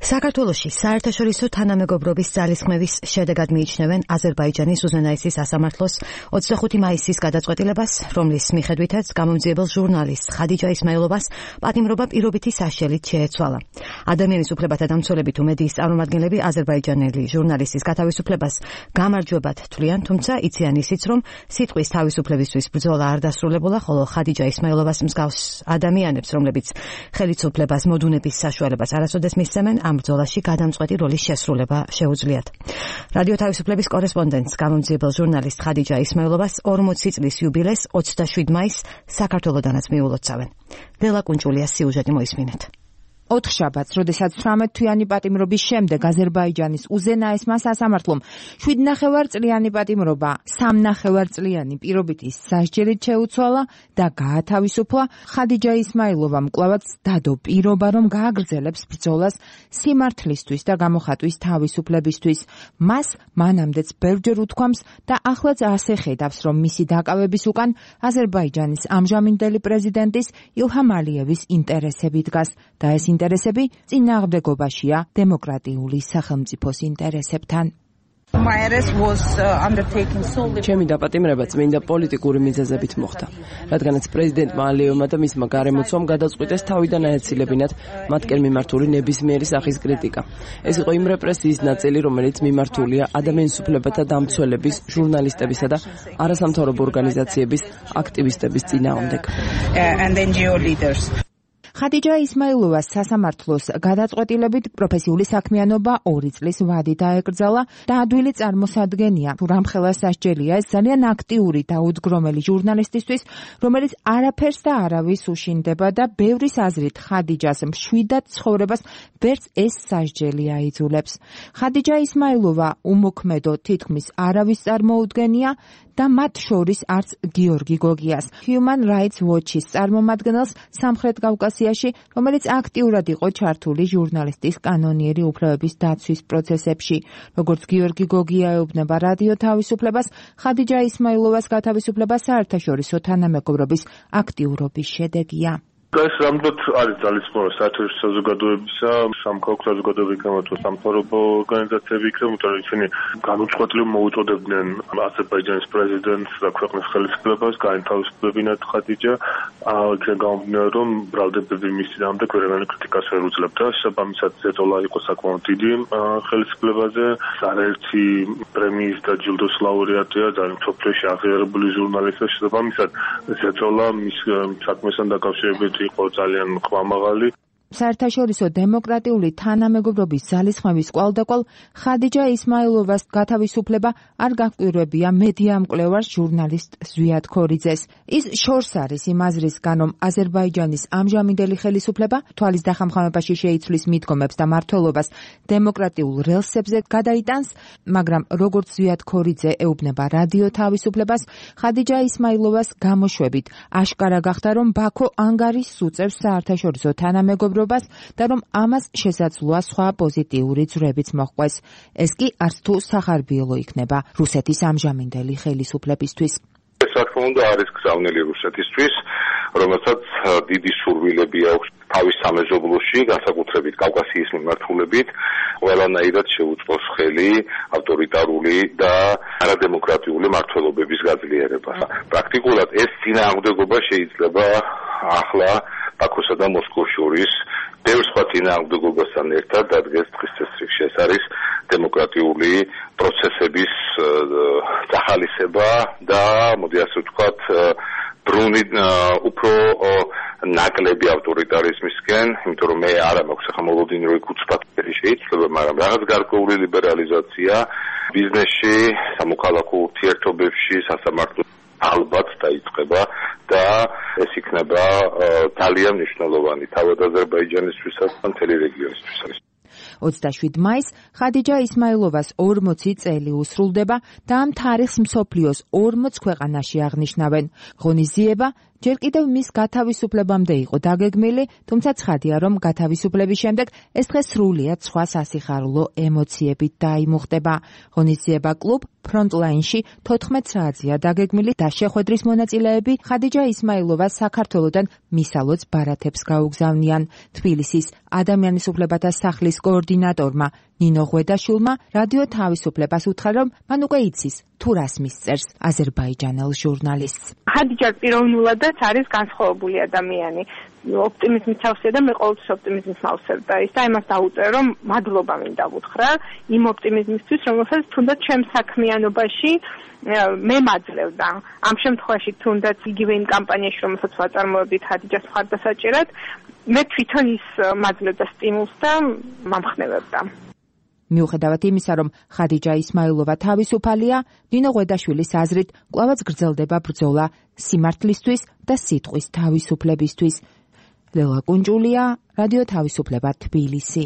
საქართველოში საერთაშორისო თანამეგობრობის ძალისხმევის შედეგად მიიჩნევენ აზერბაიჯანის უზენაესის სასამართლოს 25 მაისის გადაწყვეტილებას, რომლის მიხედვითაც გამომძიებელ ჟურნალისტ ხადიჯა ისმაილოვას პატიმრობა პირობითი საშელით შეეცვალა. ადამიანის უფლებათა დამცველები თუ მედიის წარმომადგენლები აზერბაიჯანელი ჟურნალისტის გათავისუფლებას გამარჯვებად თვლიან, თუმცა იციან ისიც, რომ სიტყვის თავისუფლებისთვის ბრძოლა არ დასრულებულა, ხოლო ხადიჯა ისმაილოვას მსგავს ადამიანებს, რომლებიც ხელისუფლებას მოდუნების საშუალებას არასოდეს მისცემენ, ამ ბრძოლაში გადამწყვეტი როლის შესრულება შეუძლიათ. რადიო თავისუფლების კორესპონდენტს გამომძიებელ ჟურნალისტ ხადიჯა ისმაილოვას 40 წლის იუბილეს 27 მაისს საქართველოდანაც მიულოცავენ. ლელა კუნჭულიას სიუჟეტი მოისმინეთ. ოთხშაბათს, როდესაც 18 თვიანი პატიმრობის შემდეგ აზერბაიჯანის უზენაესმა სასამართლომ 7,5 წლიანი პატიმრობა 3,5 წლიანი პირობითი სასჯელით შეუცვალა და გაათავისუფლა, ხადიჯა ისმაილოვამ კვლავაც დადო პირობა, რომ გააგრძელებს ბრძოლას სიმართლისთვის და გამოხატვის თავისუფლებისთვის. მას მანამდეც ბევრჯერ უთქვამს და ახლაც ასე ხედავს, რომ მისი დაკავების უკან აზერბაიჯანის ამჟამინდელი პრეზიდენტის ilham aliyevis ინტერესები დგას და ეს ინტერესები წინააღმდეგობაშია დემოკრატიული სახელმწიფოს ინტერესებთან. ჩემი დაპატიმრება წმინდა პოლიტიკური მიზეზებით მოხდა, რადგანაც პრეზიდენტმა ალიევმა და მისმა გარემოცვამ გადაწყვიტეს თავიდან აეცილებინათ მათკენ მიმართული ნებისმიერი სახის კრიტიკა. ეს იყო იმ რეპრესიის ნაწილი, რომელიც მიმართულია ადამიანის უფლებათა დამცველების, ჟურნალისტებისა და არასამთავრობო ორგანიზაციების აქტივისტების წინააღმდეგ. ხადიჯა ისმაილოვას სასამართლოს გადაწყვეტილებით პროფესიული საქმიანობა 2 წლის ვადით დაეკრძალა და ადვილი წარმოსადგენია, თუ რამხელა სასჯელია ეს ძალიან აქტიური და უდგრომელი ჟურნალისტისთვის, რომელიც არაფერს და არავის უშინდება და ბევრის აზრით ხადიჯას მშვიდად ცხოვრებას ვერც ეს სასჯელი აიძულებს. ხადიჯა ისმაილოვა უმოქმედო თითქმის არავის წარმოუდგენია და მათ შორის არც გიორგი გოგიას, Human Rights Watch-ის წარმომადგენელს სამხრეთ კავკასიაში, რომელიც აქტიურად იყო ჩართული ჟურნალისტის კანონიერი უფლებების დაცვის პროცესებში. როგორც გიორგი გოგია ეუბნება რადიო თავისუფლებას, ხადიჯა ისმაილოვას გათავისუფლება საერთაშორისო თანამეგობრობის აქტიურობის შედეგია. ეს რამდენად არის ძალისხმევა საერთაშორისო საზოგადოებისა, სამოქალაქო საზოგადოებისა თუ სამთავრობო ორგანიზაციები იქნება, იმიტომ რომ ისინი განუწყვეტლივ მოუწოდებდნენ აზერბაიჯანის პრეზიდენტს და ქვეყნის ხელისუფლებას გაეთავისუფლებინათ ხადიჯა. იქნება გამომდინარე, რომ ბრალდებები მის წინააღმდეგ ვერანაირ კრიტიკას ვერ უძლებდა. შესაბამისად, ზეწოლა იყო საკმაოდ დიდი ხელისუფლებაზე. არაერთი პრემიის და ჯილდოს ლაურეატია, ძალიან მსოფლიოში აღიარებული ჟურნალისტია. შესაბამისად, ზეწოლა მის საქმესთან დაკავშირებით იყო ძალიან ხვამაღალი. საერთაშორისო დემოკრატიული თანამეგობრობის ძალისხმევის კვალდაკვალ ხადიჯა ისმაილოვას გათავისუფლება არ გაკვირვებია მედია მკვლევარს ჟურნალისტ ზვიად ქორიძეს. ის შორს არის იმ აზრისგან, რომ აზერბაიჯანის ამჟამინდელი ხელისუფლება თვალის დახამხამებაში შეიცვლის მიდგომებს და მმართველობას დემოკრატიულ რელსებზე გადაიტანს, მაგრამ როგორც ზვიად ქორიძე ეუბნება რადიო თავისუფლებას, ხადიჯა ისმაილოვას გამოშვებით აშკარა გახდა, რომ ბაქო ანგარიშს უწევს საერთაშორისო თანამეგობრობას და რომ ამას შესაძლოა სხვა პოზიტიური ძვრებიც მოჰყვეს. ეს კი არც თუ სახარბიელო იქნება რუსეთის ამჟამინდელი ხელისუფლებისთვის. ეს რა თქმა უნდა არის გზავნილი რუსეთისთვის, რომელსაც დიდი სურვილები აქვს თავის სამეზობლოში, განსაკუთრებით კავკასიის მიმართულებით, ყველანაირად შეუწყოს ხელი ავტორიტარული და არადემოკრატიული მმართველობების გაძლიერებას. პრაქტიკულად ეს წინააღმდეგობა შეიძლება ახლა ბაქოსა და მოსკოვს შორის ბევრ სხვა წინააღმდეგობასთან ერთად დადგეს დღის წესრიგში. ეს არის დემოკრატიული პროცესების წახალისება და მოდი ასე ვთქვათ, ბრუნი უფრო ნაკლები ავტორიტარიზმისკენ, იმიტომ რომ მე არა მაქვს ახლა მოლოდინი რომ უცბად შეიძლება, მაგრამ რაღაც გარკვეული ლიბერალიზაცია ბიზნესში, სამოქალაქო ურთიერთობებში, სასამართლო ალბათ დაიწყება და ეს იქნება ძალიან მნიშვნელოვანი თავად აზერბაიჯანისთვისაც და მთელი რეგიონისთვისაც. 27 მაისს ხადიჯა ისმაილოვას 40 წელი უსრულდება და ამ თარიღს მსოფლიოს 40 ქვეყანაში აღნიშნავენ. ღონისძიება ჯერ კიდევ მის გათავისუფლებამდე იყო დაგეგმილი, თუმცა ცხადია, რომ გათავისუფლების შემდეგ ეს დღე სრულიად სხვა სასიხარულო ემოციებით დაიმუხტება. ღონისძიება კლუბ ფრონტლაინში 14 საათზეა დაგეგმილი და შეხვედრის მონაწილეები ხადიჯა ისმაილოვას საქართველოდან მისალოც ბარათებს გაუგზავნიან. თბილისის ადამიანის უფლებათა სახლის კოორდინატორმა ნინო ღვედაშვილმა რადიო თავისუფლებას უთხრა, რომ მან უკვე იცის თუ რას მისწერს აზერბაიჯანელ ჟურნალისტს. ხადიჯა პიროვნულადაც არის განსხვავებული ადამიანი. ოპტიმიზმის თავსია და მე ყოველთვის ოპტიმიზმის მავსებ და ის და იმას დაუწერო, რომ მადლობა მინდა ვუთხრა იმ ოპტიმიზმისთვის, რომელსაც თუნდაც ჩემ საქმიანობაში მე მაძლევდა. ამ შემთხვევაში თუნდაც იგივე იმ კამპანიაში, რომელსაც ვაწარმოებდით ხადიჯას მხარდასაჭერად, მე თვითონ ის მაძლევდა სტიმულს და მამხნევებდა. მიუხედავად იმისა, რომ ხადიჯა ისმაილოვა თავისუფალია, ნინო ღვედაშვილის აზრით კვლავაც გრძელდება ბრძოლა სიმართლისთვის და სიტყვის თავისუფლებისთვის. ლელა კუნჯულია, რადიო თავისუფლება, თბილისი.